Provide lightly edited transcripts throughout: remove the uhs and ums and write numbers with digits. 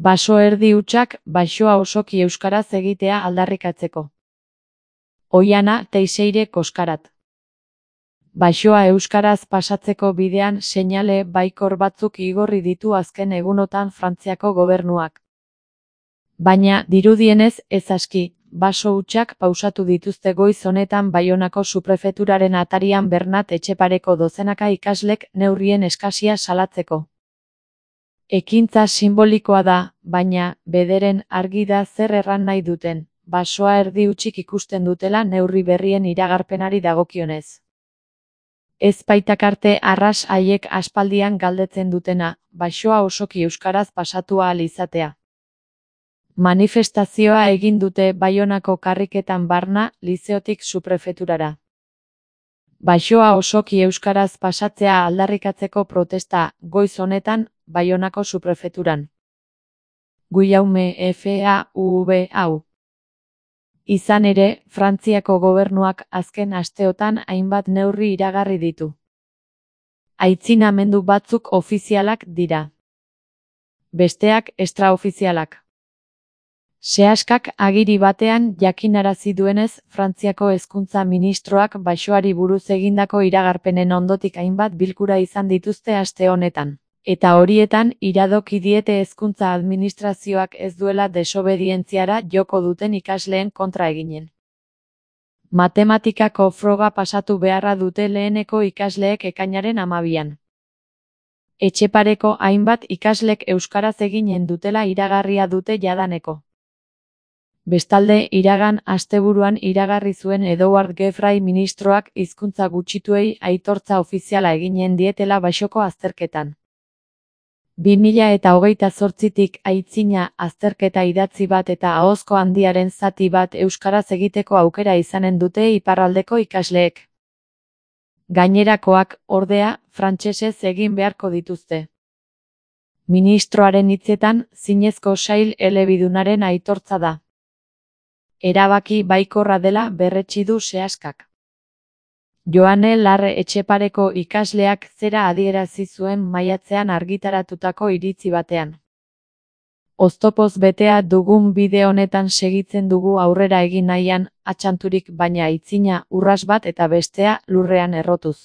Baso erdi hutsak basoa osoki euskaraz egitea aldarrikatzeko. Oiana Teixeire Koskarat. Basoa euskaraz pasatzeko bidean seinale baikor batzuk igorri ditu azken egunotan Frantziako gobernuak. Baina, dirudienez, ez aski, baso hutsak pausatu dituzte goiz honetan Baionako suprefeturaren atarian Bernat Etxepareko dozenaka ikaslek neurrien eskasia salatzeko. Ekintza sinbolikoa da, baina, bederen argi da zer erran nahi duten, basoa erdi hutsik ikusten dutela neurri berrien iragarpenari dagokionez. Ez baitakarte arras haiek aspaldian galdetzen dutena, basoa osoki euskaraz pasatu ahal izatea. Manifestazioa egin dute Baionako karriketan barna, lizeotik suprefeturara. Basoa osoki euskaraz pasatzea aldarrikatzeko protesta, goiz honetan, Baionako suprefeturan. Guillaume FAUV. Izan ere, Frantziako gobernuak azken asteotan hainbat neurri iragarri ditu. Aitzinamendu batzuk ofizialak dira. Besteak extraofizialak. Seaskak agiri batean jakinarazi duenez, Frantziako hezkuntza ministroak basoari buruz egindako iragarpenen ondotik hainbat bilkura izan dituzte aste honetan. Eta horietan iradoki diete hezkuntza administrazioak ez duela desobedientziara joko duten ikasleen kontra eginen. Matematikako froga pasatu beharra dute leheneko ikasleek ekainaren 12an. Etxepareko hainbat ikaslek euskaraz eginen dutela iragarria dute jadaneko. Bestalde, iragan asteburuan iragarri zuen Edouard Geoffroy ministroak hizkuntza gutxituei aitortza ofiziala eginen dietela basoko azterketan. 2028tik aitzina azterketa idatzi bat eta ahozko handiaren zati bat euskaraz egiteko aukera izanen dute iparraldeko ikasleek. Gainerakoak, ordea, frantsesez egin beharko dituzte. Ministroaren hitzetan, zinezko sail elebidunaren aitortza da. Erabaki baikorra dela berretsi du Seaskak. Joane Larre Etxepareko ikasleak zera adierazi zuen maiatzean argitaratutako iritzi batean. Oztopoz betea dugun bide honetan segitzen dugu aurrera egin nahian, atxanturik baina aitzina urras bat eta bestea lurrean errotuz.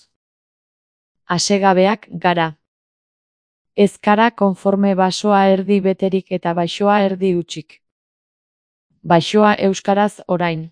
Hasegabeak gara. Ez gara konforme basoa erdi beterik eta basoa erdi hutsik. Basoa euskaraz orain.